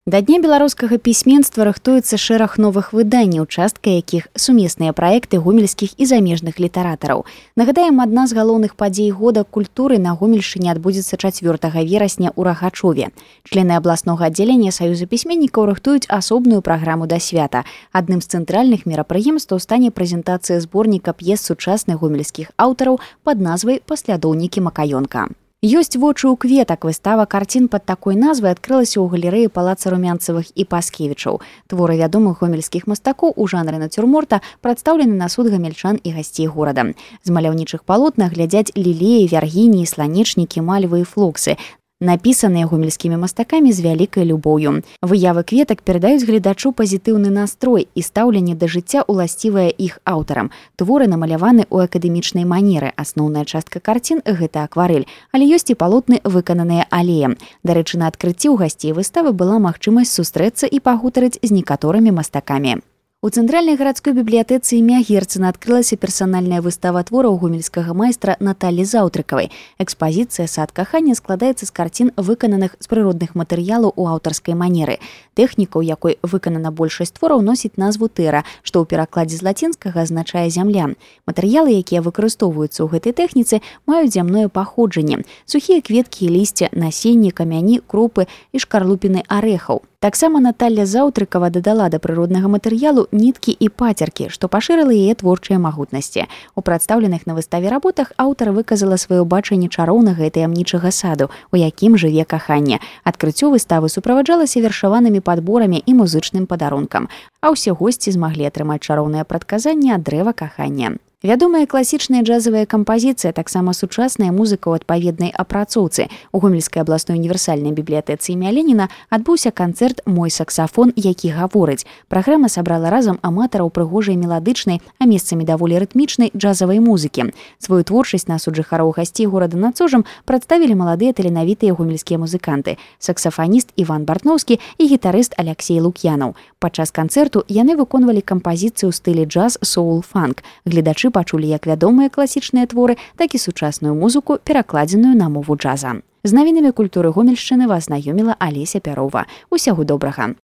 Да дня беларускага пісьменства рыхтуецца шэраг новых выданняў, частка якіх сумесныя праекты гомельскіх і замежных літаратараў. Нагадаем, адна з галоўных падзей года культуры на Гомельшчыне адбудзецца 4 верасня ў Рагачове. Члены абласнога аддзялення Саюза пісьменнікаў рыхтуюць асобную праграму да свята. Адным з цэнтральных мерапрыемстваў стане прэзентацыя зборніка п'ес сучасных гомельскіх аўтараў пад назвай «Паслядоўнікі Макаёнка». Ёсць вочы ў кветак. Выстава карцін пад такой назвай адкрылася ў галерэі палаца Румянцевых і Паскевічаў. Творы вядомых гомельскіх мастакоў у жанры нацюрморта прадстаўлены на суд гамельчан і гасцей горада. З маляўнічых палотнах глядзяць лілеі, вяргініі, сланечнікі, мальвы і флоксы, напісаныя гомельскімі мастакамі з вялікай любоўю. Выявы кветак перадаюць гледачу пазітыўны настрой і стаўленне да жыцця уласцівае іх аўтарам. Творы намаляваны ў акадэмічнай манеры. Асноўная частка карцін – гэта акварэль, але ёсць і палотны, выкананыя алеем. Дарэчы, на адкрыцці ў гасцей выставы была магчымасць сустрэцца і пагутарыць з некаторымі мастакамі. У цэнтральнай гарадской бібліятэцы імя Герцена адкрылася персанальная выстава твораў гомельскага майстра Наталі Заўтрыкавай. Экспазіцыя «Сад кахання» складаецца з карцін, выкананых з прыродных матэрыялаў у аўтарскай манеры. Тэхніка, у якой выканана большасць твораў, носіць назву тэра, што ў перакладзе з лацінскага азначае зямля. Матэрыялы, якія выкарыстоўваюцца ў гэтай тэхніцы, маюць зямное паходжанне. Сухія кветкі і лісце, насенні, камяні, крупы і шкарлупіны арэхаў. Таксама Наталля Заўтрыкава дадала да прыроднага матэрыялу ніткі і пацеркі, што пашырыла яе творчыя магутнасці. У прадстаўленых на выставе работах аўтар выказала сваё бачанне чароўнага і таямнічага саду, у якім жыве каханне. Адкрыццё выставы суправаджалася вершаванымі падборамі і музычным падарункам, а ўсе госці змаглі атрымаць чароўнае прадказанне ад дрэва кахання. Вядомая класічная джазавая кампазіцыя, таксама сучасная музыка ў адпаведнай апрацоўцы. У Гомельскай абласной універсальнай бібліятэцы імя Леніна адбыўся канцэрт «Мой саксафон, які гаворыць». Праграма сабрала разам аматараў прыгожай меладычнай, а месцамі даволі рытмічнай джазавай музыкі. Сваю творчасць на суд жыхароў гасцей горада над Сожам прадставілі маладыя таленавітыя гомельскія музыканты, саксафаніст Іван Бартноўскі і гітарыст Аляксей Лук'янаў. Падчас канцэрту яны выконвалі кампазіцыю ў стылі джаз, соул, фанк. Гледачы пачулі як вядомыя класічныя творы, так і сучасную музыку, перакладзеную на мову джаза. З навінамі культуры Гомельшчыны вас знаёміла Алеся Пярова. Усяго добрага!